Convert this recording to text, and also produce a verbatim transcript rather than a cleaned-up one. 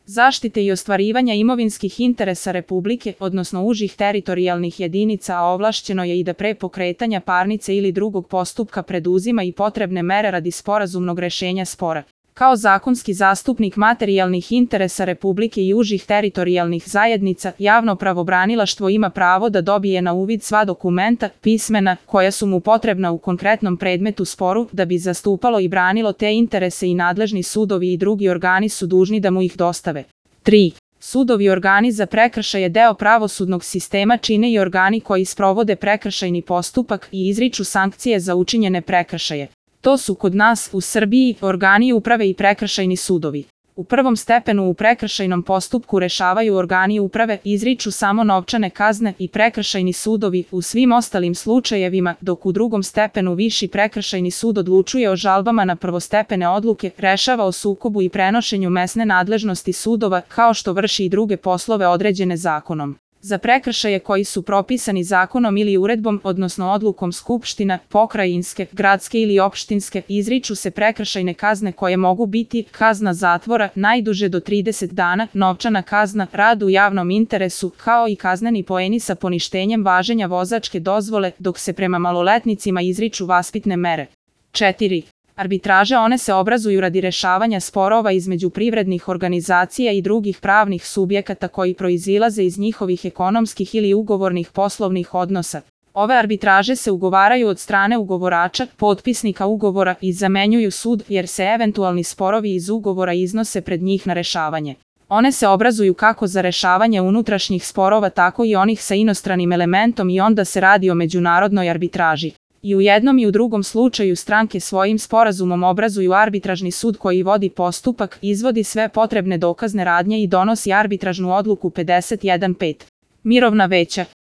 zaštite i ostvarivanja imovinskih interesa Republike, odnosno užih teritorijalnih jedinica, a ovlašćeno je i da pre pokretanja parnice ili drugog postupka preduzima i potrebne mere radi sporazumnog rešenja spora. Kao zakonski zastupnik materijalnih interesa Republike i užih teritorijalnih zajednica, javno pravobranilaštvo ima pravo da dobije na uvid sva dokumenta, pismena, koja su mu potrebna u konkretnom predmetu sporu, da bi zastupalo i branilo te interese i nadležni sudovi i drugi organi su dužni da mu ih dostave. tri. Sudovi i organi za prekršaje deo pravosudnog sistema čine i organi koji sprovode prekršajni postupak i izriču sankcije za učinjene prekršaje. To su kod nas, u Srbiji, organi uprave i prekršajni sudovi. U prvom stepenu u prekršajnom postupku rešavaju organi uprave, izriču samo novčane kazne i prekršajni sudovi u svim ostalim slučajevima, dok u drugom stepenu Viši prekršajni sud odlučuje o žalbama na prvostepene odluke, rešava o sukobu i prenošenju mesne nadležnosti sudova, kao što vrši i druge poslove određene zakonom. Za prekršaje koji su propisani zakonom ili uredbom, odnosno odlukom skupština, pokrajinske, gradske ili opštinske, izriču se prekršajne kazne koje mogu biti kazna zatvora najduže do trideset dana, novčana kazna, rad u javnom interesu, kao i kazneni poeni sa poništenjem važenja vozačke dozvole, dok se prema maloletnicima izriču vaspitne mere. četiri. Arbitraže one se obrazuju radi rešavanja sporova između privrednih organizacija i drugih pravnih subjekata koji proizilaze iz njihovih ekonomskih ili ugovornih poslovnih odnosa. Ove arbitraže se ugovaraju od strane ugovorača, potpisnika ugovora i zamenjuju sud, jer se eventualni sporovi iz ugovora iznose pred njih na rešavanje. One se obrazuju kako za rešavanje unutrašnjih sporova, tako i onih sa inostranim elementom i onda se radi o međunarodnoj arbitraži. I u jednom i u drugom slučaju stranke svojim sporazumom obrazuju arbitražni sud koji vodi postupak, izvodi sve potrebne dokazne radnje i donosi arbitražnu odluku pedeset jedan pet. Mirovna veća.